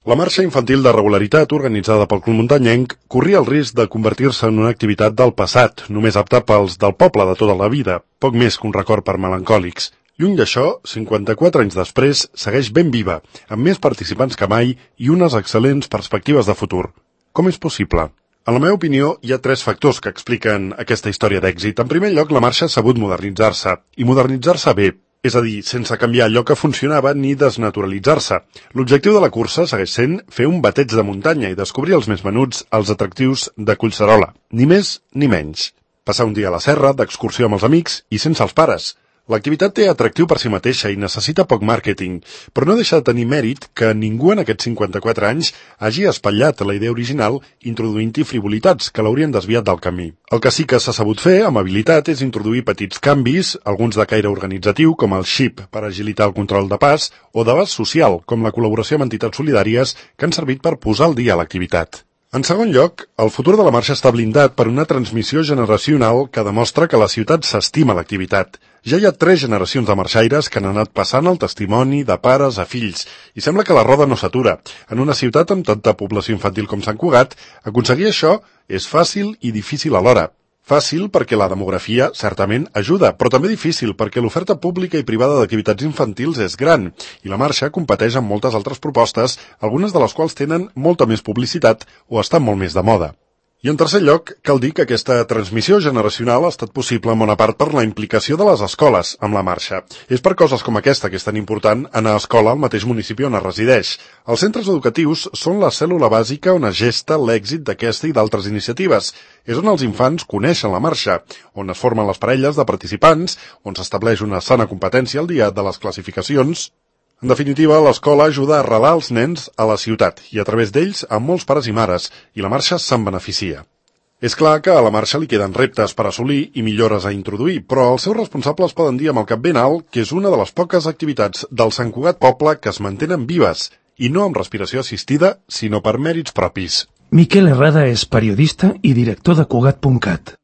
La marxa infantil de regularitat organitzada pel Club Muntanyenc corria el risc de convertir-se en una activitat del passat, només apta pels del poble de tota la vida, poc més que un record per melancòlics. Lluny d'això, 54 anys després, segueix ben viva, amb més participants que mai i unes excel·lents perspectives de futur. Com és possible? En la meva opinió, hi ha 3 factors que expliquen aquesta història d'èxit. En primer lloc, la marxa ha sabut modernitzar-se, i modernitzar-se bé. És a dir, sense canviar allò que funcionava ni desnaturalitzar-se. L'objectiu de la cursa segueix sent fer un bateig de muntanya i descobrir els més menuts, els atractius de Collserola. Ni més ni menys. Passar un dia a la serra, d'excursió amb els amics i sense els pares. L'activitat té atractiu per si mateixa i necessita poc màrqueting, però no deixa de tenir mèrit que ningú en aquests 54 anys hagi espatllat la idea original introduint-hi frivolitats que l'haurien desviat del camí. El que sí que s'ha sabut fer, amb habilitat, és introduir petits canvis, alguns de caire organitzatiu, com el xip per agilitar el control de pas, o d'abast social, com la col·laboració amb entitats solidàries que han servit per posar al dia l'activitat. En segon lloc, el futur de la marxa està blindat per una transmissió generacional que demostra que la ciutat s'estima l'activitat. Ja hi ha 3 generacions de marxaires que han anat passant el testimoni de pares a fills i sembla que la roda no s'atura. En una ciutat amb tanta població infantil com Sant Cugat, aconseguir això és fàcil i difícil alhora. Fàcil perquè la demografia certament ajuda, però també difícil perquè l'oferta pública i privada d'activitats infantils és gran i la marxa competeix amb moltes altres propostes, algunes de les quals tenen molta més publicitat o estan molt més de moda. I en tercer lloc, cal dir que aquesta transmissió generacional ha estat possible en bona part per la implicació de les escoles amb la marxa. És per coses com aquesta que és tan important anar a escola al mateix municipi on es resideix. Els centres educatius són la cèl·lula bàsica on es gesta l'èxit d'aquesta i d'altres iniciatives. És on els infants coneixen la marxa, on es formen les parelles de participants, on s'estableix una sana competència al dia de les classificacions. En definitiva, l'escola ajuda a arrelar els nens a la ciutat i a través d'ells a molts pares i mares, i la marxa se'n beneficia. És clar que a la marxa li queden reptes per assolir i millores a introduir, però els seus responsables poden dir amb el cap ben alt que és una de les poques activitats del Sant Cugat poble que es mantenen vives, i no amb respiració assistida, sinó per mèrits propis. Miquel Herrada és periodista i director de Cugat.cat.